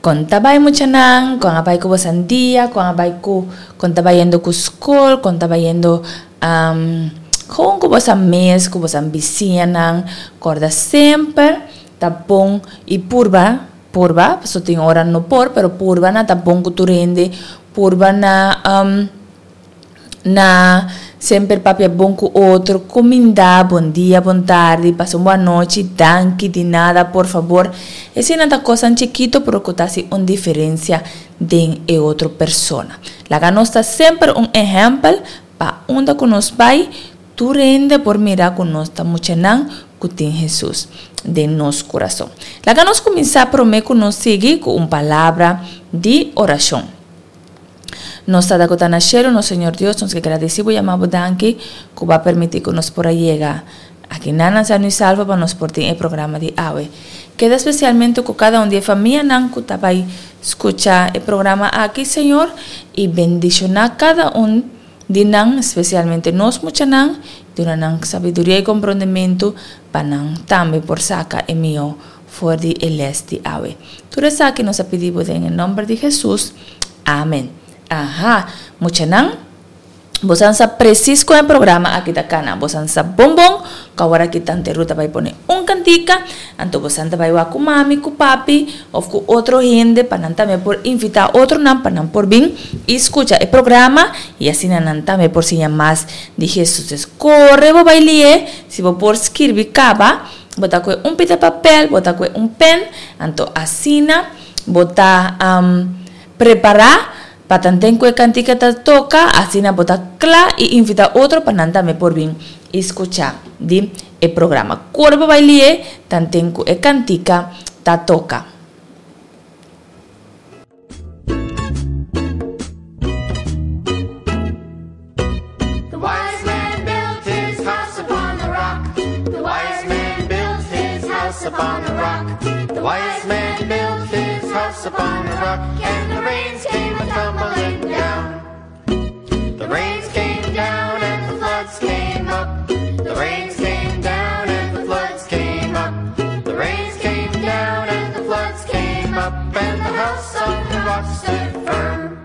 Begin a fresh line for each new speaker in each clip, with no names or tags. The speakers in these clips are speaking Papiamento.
Kon ta bai muchanan? Kon a bai ku bosan dia? Kon a bai ku kon ta bayendo ku skol? Kon ta bayendo gewoon ku bosan mes, ku bosan bisiñanan? Kòrda semper ta bon i purba, purba, pasobra tin ora no por, pero purba na ta bon ku tur hende, purba na. Na semper papia bon ku otro, kumindá, bon dia, bon tardi, pasa un bon anochi, danki, di nada, por fabor. Eseinan ta kosnan chikito pero ku ta hasi un diferensia den e otro persona. Laga nos ta semper un ehèmpel pa unda ku nos bai, tur hende por mira ku nos ta muchanan ku tin Hesus den nos kurason. Laga nos kuminsá promé ku nos sigui ku un palabra di orashon. Nos Tata ku ta na shelu, nos Señor Dios, nos ke gradisí bo, yama bo danki ku bo a permití ku nos por a yega aki nan na Sano i Salvo pa nos por tin e programa di awe. Keda spesialmente ku kada un di e famianan ku ta bai skucha e programa aki, Señor, i bendishoná kada un di nan, spesialmente nos muchanan, duna nan sabiduria i komprondementu pa nan tambe por saka e mihó for di e les di awe. Tur esaki nos a pidi bo den e nomber di Hesus. Amen. Aha, muchanan, bosan sa precies con e programa aki ta cana. Bosan sa bon bon cu awor aki Tante Ruth ta bay pone un cantica, anto bosan ta bay wak cu mami, cu papi of cu otro hende pa nan tambe por invita otronan pa nan por bin y scucha e programa y asina nan tambe por siña mas di Hesus. Entonces, core bo bay lie, si bo por skirbi caba. Bo ta koe un pita papel, bo ta koe un pen, anto asina bo ta prepará pa tanten ku e kantika ta toka, asina bo ta kla i invitá otro pa nan tambe por bin i skuchá di e programa. Kore bo bai lié tanten ku e kantika ta toka.
The wise man built his house upon the rock. The wise man built his house upon the rock. The wise man built his house upon the rock, and the rains came a tumbling down. The rains came down and the floods came up. The rains came down and the floods came up. The rains came down and the floods came up, and the house on the rock stood firm.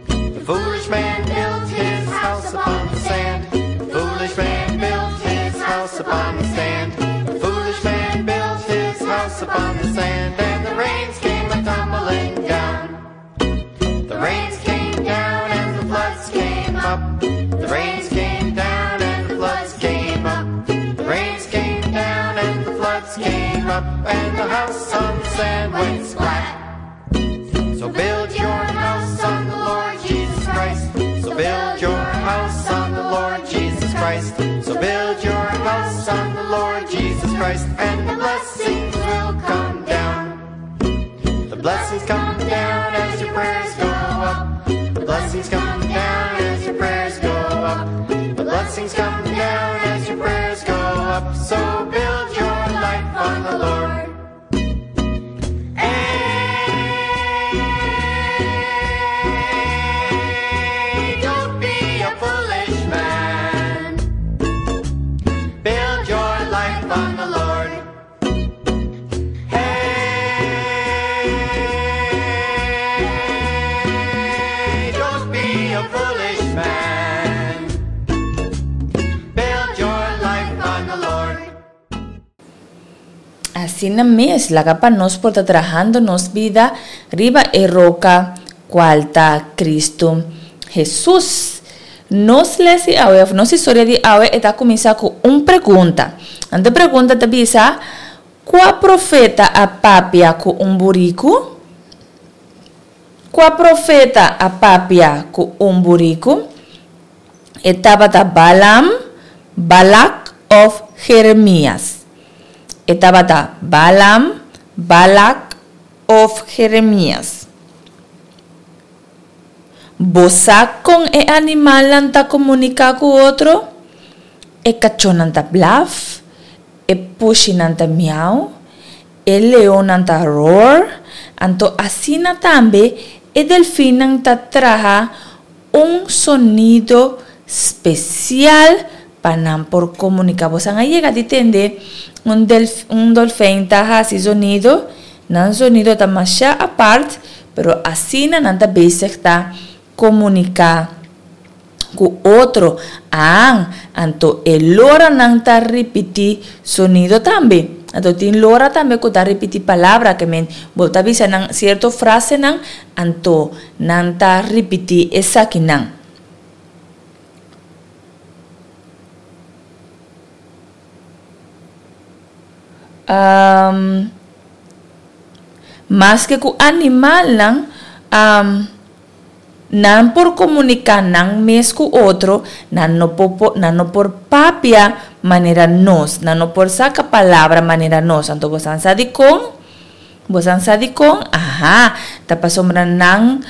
The foolish man built his house upon the sand. The foolish man built his house upon the sand. The foolish man built his house upon the sand, and the rains came a tumbling down. The rains came down and the floods came up. The rains came down and the floods came up. The rains came down and the floods came up, and the house on the sand went splat. So build your house on the Lord Jesus Christ. So build your house on the Lord Jesus Christ. So build your house on the Lord Jesus Christ, and the blessings will come down. The blessings come down as your prayers go up. The blessings come down as your prayers go up. The blessings come down as your prayers go up. So build your life on the Lord. Hey, don't be a foolish man. Build your life on the Lord. Hey, don't be a foolish man. Build your life on the Lord.
Asina mes, laga pa nos por ta trahando nos bida riba e roka cual ta Cristo Hesus. Nos les di awe of nos historia di awe e ta cuminsa cu un pregunta. Anto e pregunta ta bisa, Cua profeta a papia cu un buricu? Cua profeta a papia cu un buricu? E tabata Balaam, Balak of Jeremias? E tabata Balaam, Balak of Jeremias? Bo sa kon e animalnan ta komuniká ku otro? E kachónan ta blaf, e pushinan ta miau, e leonnan ta roar, anto asina tambe e delfinnan ta traha un sonido spesial pa nan por komuniká. Bosan a yega di tende un delf un dolfijn ta hasi zonido? Nan zonido ta masha apart, pero asina nan ta bezig ta komuniká ku otro. Aan, anto e loranan ta ripití sonido tambe. Anto tin lora tambe ku ta ripití palabra, ke men bo ta bisa nan sierto frasenan, anto nan ta ripití esakinan. Maske ku animalnan, nan por komuniká nan mes ku otro, nan no por nan no por papia manera nos, nan no por saka palabra manera nos. Anto boso a sa dikon? Boso a sa dikon? Aha, ta pasobra nan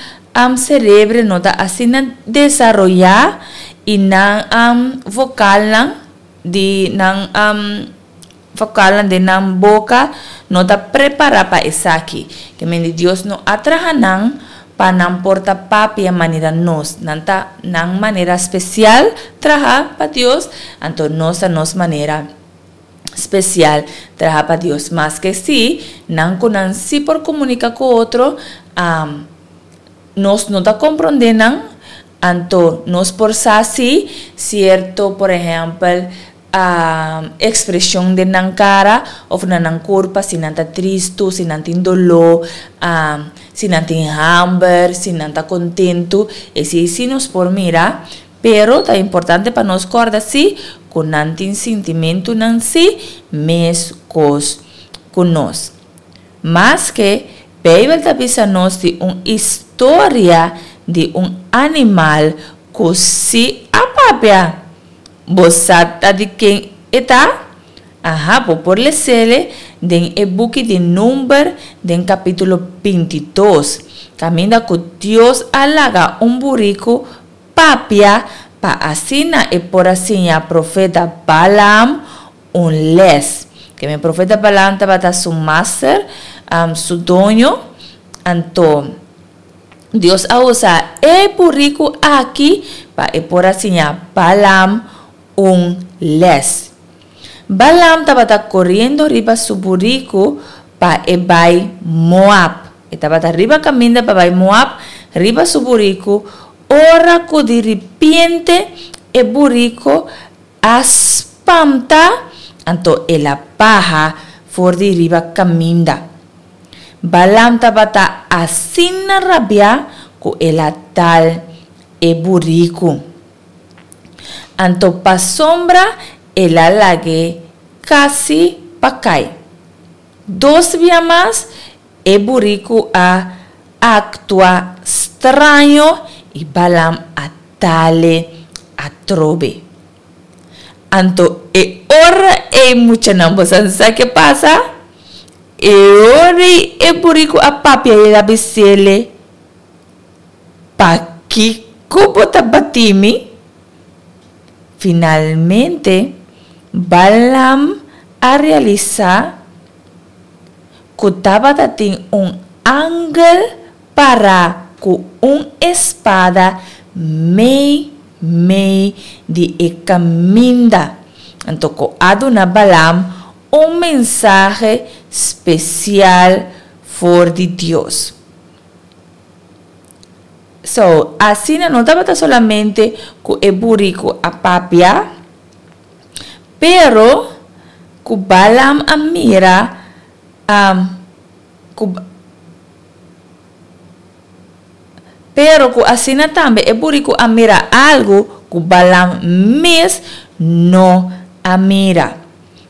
serebre no ta asina desaroyá i nan vokalnan di nan vokalnan den nan boka no ta prepará pa esaki. Ke men di Dios no a traha nan pa nan por ta papia manera nos. Nan ta nan manera spesial traha pa Dios, anto nos ta nos manera spesial traha pa Dios. Maske si nan ku nan si por komunika ku otro, nos no ta komprondé nan, anto nos por sa si sierto, por ehèmpel, ekspreshon den nan kara òf na nan kurpa, si nan ta tristu, si nan tin doló, si nan tin hamber, si nan ta kontentu, esei si nos por mira, pero ta importante pa nos kòrda si ku nan tin sintimentunan si meskos ku nos. Maske Beibel ta bisa nos di un istoria di un animal ku sí a papia. Bo sa ta di ken e ta? Aha, bo por les'ele den e buki di Number den kapítulo bintidos, kaminda ku Dios a laga un buriku papia pa asina e por a siña profeta Balaam un les. Ke mi profeta Balaam tabata su master, su doño, anto Dios a usa e buriku aki pa e por a siña Balaam un les. Balaam tabata koriendo riba su buriku pa e bai Moab. E tabata riba kaminda pa bai Moab riba su buriku ora ku di ripiente e buriku a spanta, anto el a baha for di riba kaminda. Balaam tabata asina rabiá ku el a dal e buriku. Anto pasobra el a lag'é kasi pa kai. Dos bia mas e buriku a aktua straño i Balaam a dal'é atrobe. Anto e ora ei muchanan bo sa sa ke pasa? E ora ei e buriku a papia i el a bis'é, Pakiko bo ta bati mi? Finalmente, Balaam a realisá ku tabata tin un angel pará ku un espada mei mei di e kaminda. Anto ku a duna Balaam un mensahe spesial for di Dios. So, asina no tabata solamente ku e buriku a papia, pero ku Balaam a mira ku pero ku asina tambe e buriku a mira algu ku Balaam mes no a mira.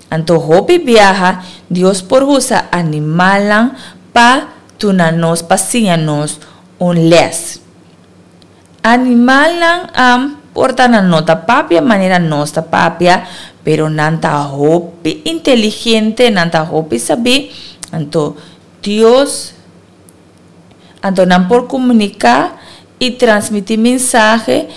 Anto hopi biaha Dios por usa animalnan pa duna nos pa siña nos un lès. Animalnan a por ta nan no ta papia manera nos ta papia, pero nan ta hopi inteligente, nan ta hopi sabí, anto Dios, anto nan por komuniká i transmití mensahe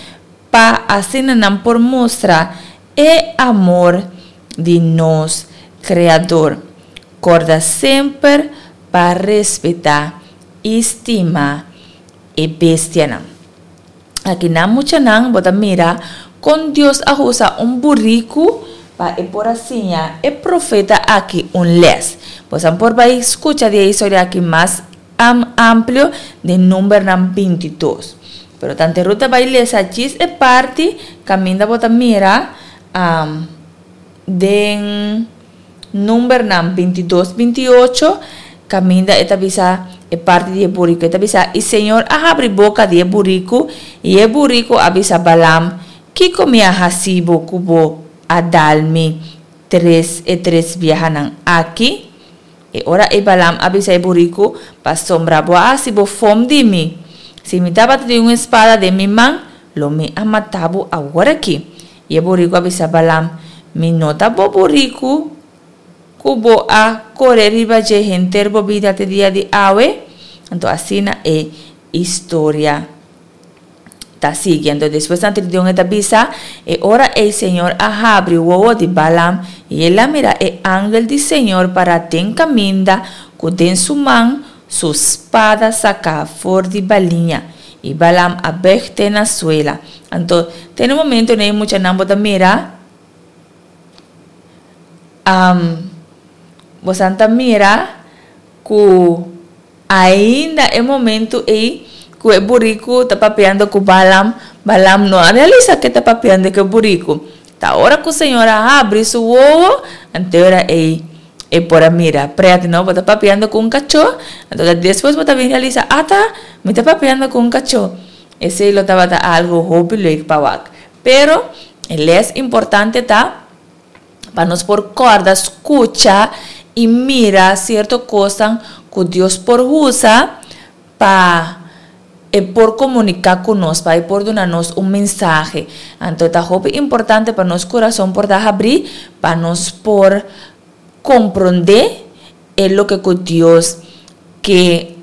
pa asina nan por mustra e amor di nos Kreador. Kòrda semper pa respetá i stima e bestianan. Aki nan muchanan bo ta mira kon Dios a usa un buriku pa. pa e por a siña e profeta aki un les. Bosan por bai skucha di e historia aki mas amplio den Numbernan 22. Pero tante Ruth ta bai lesa djis e parti kaminda bo ta mira den Numbernan 22, 28, kaminda e ta bisa e parti di e buriku. E ta bisa, I señor a habri boka di e buriku, i e buriku a bisa Balaam, Kiko mi a hasi bo ku bo a dal mi tres e tres biahanan aki? E ora ei Balaam a bisa e buriku, Pasobra bo a hasi bo fom di mi. Si mi tabata tin un spada den mi man, lo mi a mata bo awor aki. I e buriku a bisa Balaam, Mi no ta bo buriku ku bo a kore riba dje henter bo bida te dia di awe? Anto asina e historia ta sigui. Anto despues nan tridion e ta bisa, E ora ei Señor a habri wowo di Balaam, i el a mira e angel di Señor pará den kaminda ku den su man su spada saká for di baliña. I Balaam a bèg te na suela. Anto, te na e momento nei muchanan bo ta mira, bosan ta mira ku Ainda e momento ei ku e buriku ta papiando ku Balaam, Balaam no a realisa ke ta papiando ku e buriku. Ta ora ku Señor a habri su wowo, anto e ora ei e por a mira. Pret no, bo ta papiando ku un kachó, anto ta despues bo ta bin realisa, ata, mi ta papiando ku un kachó. Esei lo tabata algu hopi leuk pa wak. Pero, e les importante ta, Pa nos por kòrda, skucha i mira sierto kosnan ku Dios por usa pa e por komuniká ku nos, pa e por duna nos un mensahe. Anto ta hopi importante pa nos kurason por ta habrí pa nos por komprondé e loke ku Dios ke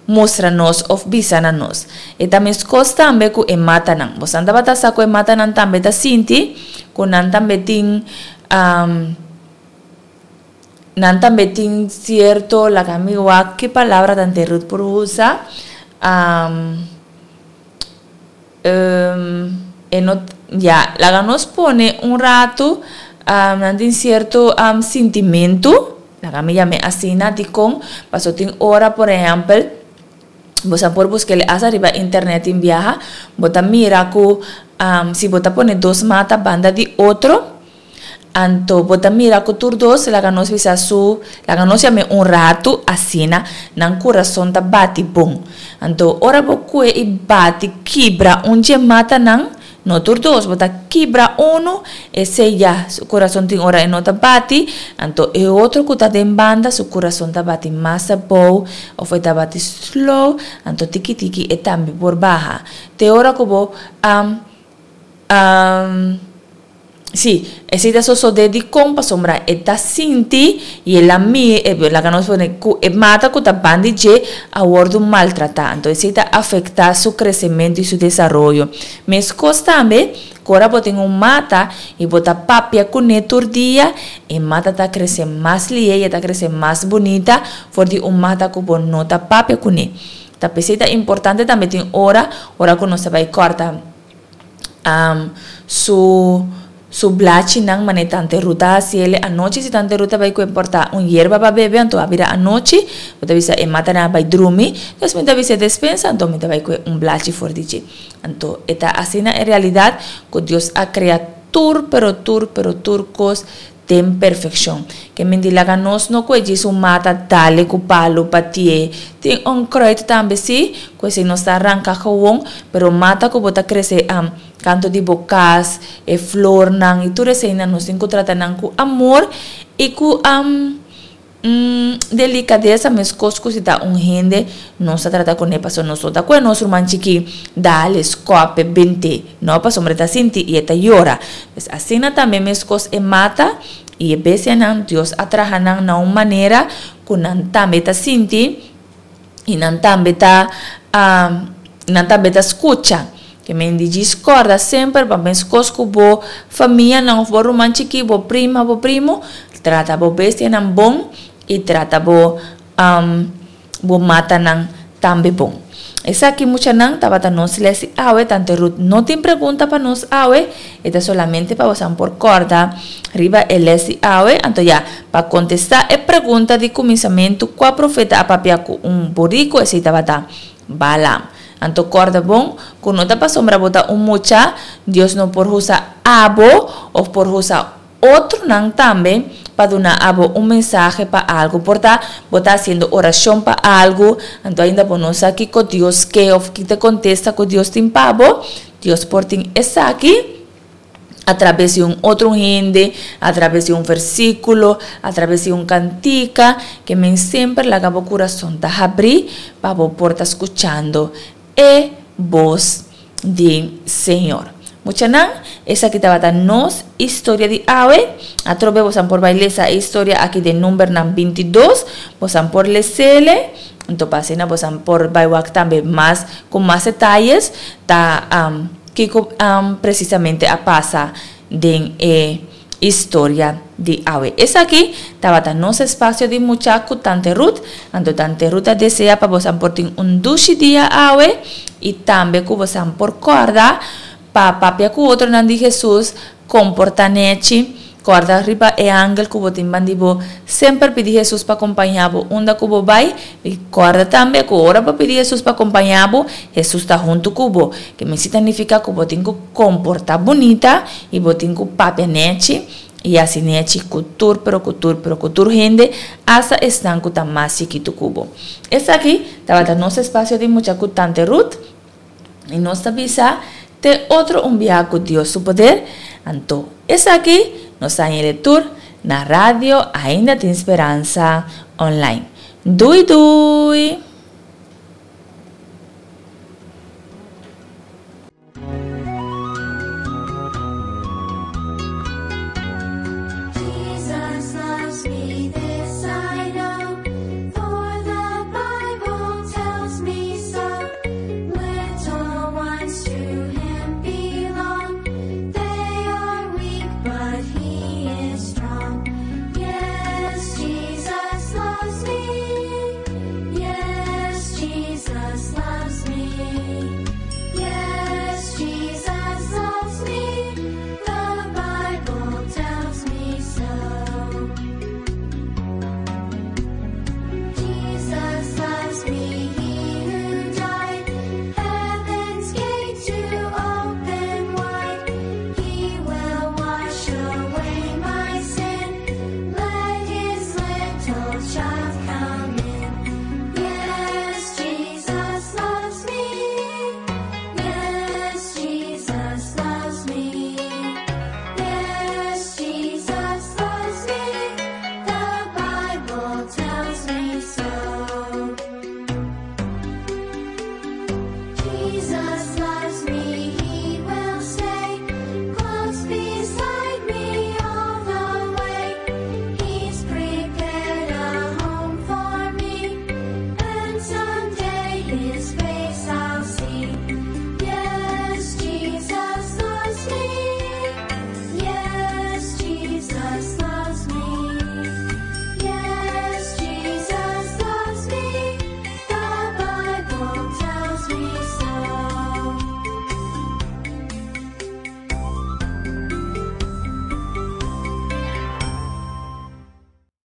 mustra nos of bisa na nos. E ta meskos tambe ku e matanan. Bosan tabata sa ku e matanan tambe ta sinti ku nan tambe tin nan tambe tin sierto laga mi wak ki palabra tante Ruth por usa e no ya laga nos pone un ratu nan tin sierto sintimentu laga mi yam'e asina dikon paso tin ora por ehèmpel bo sa por buska el asa riba internet tin biaha bo ta mira ku si bo ta pone dos mata banda di otro. Anto bo ta mira ku tur dos laga nos bisa su, laga nos yam'é un ratu asina, nan kurason ta bati bon. Anto ora bo kue i bati kibra un dje matanan, no tur dos, bo ta kibra unu, esei ya su kurason tin ora e no ta bati, anto e otro ku ta den banda su kurason ta bati mas abou òf e ta bati slow, anto tiki tiki e tambe por baha. Te ora ku bo a. Sí, esei ta sosodé dikon pasobra e ta sinti i el a mi e laga nos pone ku e mata ku ta ban di dje a wòrdu maltratá. Anto esei ta afektá su kresementu i su desaroyo. Meskos tambe ku ora bo tin un mata i bo ta papia kuné tur dia, e mata ta krese mas lihe i e ta krese mas bunita for di un mata ku bo no ta papia kuné. Ta p'esei ta importante tambe tin ora, ora ku nos ta bai kòrta. su su blachinan mane tante Ruth a haci el anochi si tante Ruth a bay cu e porta un yerba pa bebe anto a bira anochi bo ta bisa e matanan a bay drumi dus mi ta bisa e despensa anto mi ta bay cu un blachi for di dje anto e ta asina en realidad cu Dios a crea tur pero tur pero tur cos den perfeccion. Ke men di laga nos no kue djis un mata dale ku palu patié. Tin onkruid tambe si, ku esei nos ta ranka gewon, pero mata ku bo ta krese kantu di bo kas, e flornan i tur eseinan nos tin ku trata nan ku amor i ku delikadesa meskos ku si ta un hende nos ta trata kuné pasobra nos no ta kue nos ruman chikí dale skòp e bent'é no pasobra e ta sinti i e ta yora pues asina tambe meskos e mata i e bestianan Dios a traha nan na un manera ku nan tambe ta sinti i nan tambe ta nan tambe ta skucha ke men di djis kòrda semper pa meskos ku bo famianan òf bo ruman chikí bo prima bo primo trata bo bestianan bon i trata bo bo matanan tambe bon. Esaki muchanan tabata nos les di awe, Tante Ruth no tin pregunta pa nos awe, e ta solamente pa bosan por corda riba e les di awe. Anto ya, pa contesta e pregunta di cuminsamentu cua profeta a papia cu un burico, esey tabata Balaam. Anto corda bon cu no ta pasobra bo ta un mucha, Dios no por usa abo of por usa Otronan tambe pa duna abo un mensahe pa algu. Por ta bo ta hasiendo orashon pa algu, anto ainda bo no sa kiko Dios ke òf ki ta kontesta ku Dios tin pa bo. Dios por tin esaki atrabes di un otro hende, atrabes di un versíkulo, atrabes di un kantika, ke men semper laga bo kurason ta habrí pa bo por ta skuchando e bos di Señor. Muchanan, esaki tabata nos historia di awe. Atrobe bosan por bai lesa e historia aki den Numbernan 22. Bosan por lesele. Anto pa asina bosan por bai wak tambe mas ku mas detayes ta kiko presisamente a pasa den e Historia di awe. Esaki tabata nos espacio di mucha cu Tante Ruth. Anto Tante Ruth a desea pa bosan por tin un dushi dia awe y tambe cu bosan por corda pa papia cu otronan di Jesus, comporta nechi, corda riba e angel cu bo tin bandi bo, semper pidi Jesus pa compaña bo unda cu bo bay y corda tambe cu ora bo pidi Jesus pa compaña bo, Jesus ta hunto cu bo. Ke mester ta nifica cu bo tin cu comporta bunita y bo tin cu papia nechi y haci nechi cu tur pero cu tur pero cu tur hende hasta esnan cu ta mas chikito cu bo. Esaki tabata nos espacio di mucha cu Tante Ruth y nos ta bisa te otro un biaha cu Dios su poder. Anto esaki nos ta haña tur na radio Ainda Tin Speransa online. Dui dui!